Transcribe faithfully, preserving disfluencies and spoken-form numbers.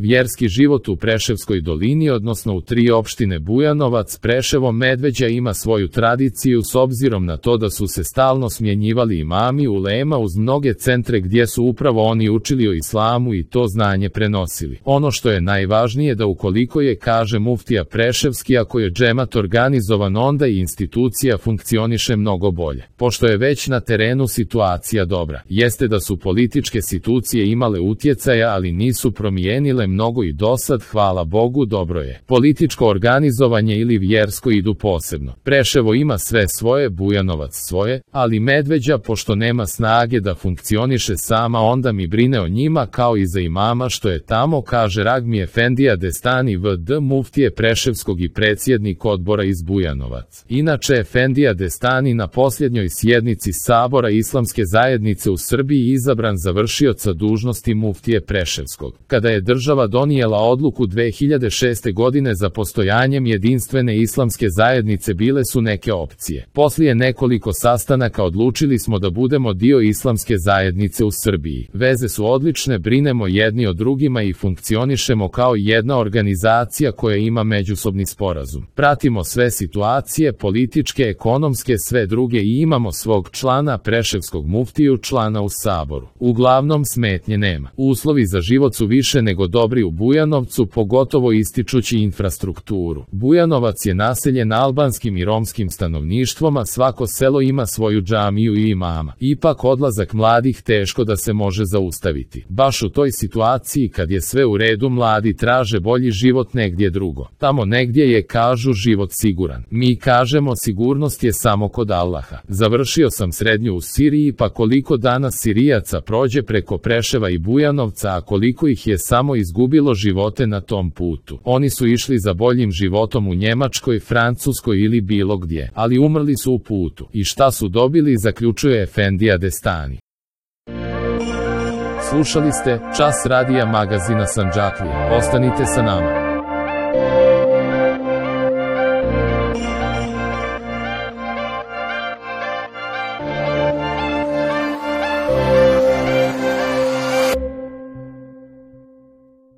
Vjerski život u Preševskoj dolini, odnosno u tri opštine Bujanovac, Preševo, Medveđa ima svoju tradiciju s obzirom na to da su se stalno smjenjivali imami ulema uz mnoge centre gdje su upravo oni učili o islamu i to znanje prenosili. Ono što je najvažnije da ukoliko je, kaže muftija Preševski, ako je džemat organizovan, onda i institucija funkcioniše mnogo bolje. Pošto je već na terenu situacija dobra, jeste da su političke institucije imale utjecaja, ali nisu promijenile mnogo i dosad, hvala Bogu, dobro je. Političko organizovanje ili vjersko idu posebno. Preševo ima sve svoje, Bujanovac svoje, ali Medveđa, pošto nema snage da funkcioniše sama, onda mi brine o njima kao i za imama što je tamo, kaže Ragmi Efendija Destani V D muftije Preševskog i predsjednik odbora iz Bujanovac. Inače, Efendija Destani na posljednjoj sjednici Sabora Islamske zajednice u Srbiji izabran za vršioca dužnosti muftije Preševskog. Kada je država donijela odluku dve hiljade šeste. godine za postojanjem jedinstvene islamske zajednice, bile su neke opcije. Poslije nekoliko sastanaka odlučili smo da budemo dio islamske zajednice u Srbiji. Veze su odlične, brinemo jedni o drugima i funkcionišemo kao jedna organizacija koja ima međusobni sporazum. Pratimo sve situacije, političke, ekonomske, sve druge i imamo svog člana, Preševskog muftiju, člana u Saboru. Uglavnom smetnje nema. Uslovi za život su više nego dobri u Bujanovcu, pogotovo ističući infrastrukturu. Bujanovac je naseljen albanskim i romskim stanovništvom, a svako selo ima svoju džamiju i imama. Ipak odlazak mladih teško da se može zaustaviti. Baš u toj situaciji kad je sve u redu, mladi traže bolji život negdje drugo. Tamo negdje je, kažu, život siguran. Mi kažemo sigurnost je samo kod Allaha. Završio sam srednju u Siriji, pa koliko danas Sirijaca prođe preko Preševa i Bujanovca, a koliko ih je samo izgubilo živote na tom putu. Oni su išli za boljim životom u Njemačkoj, Francuskoj ili bilo gdje, ali umrli su u putu. I šta su dobili, zaključuje Efendija Destani. Slušali ste Čas radija magazina Sandžaklija. Ostanite sa nama.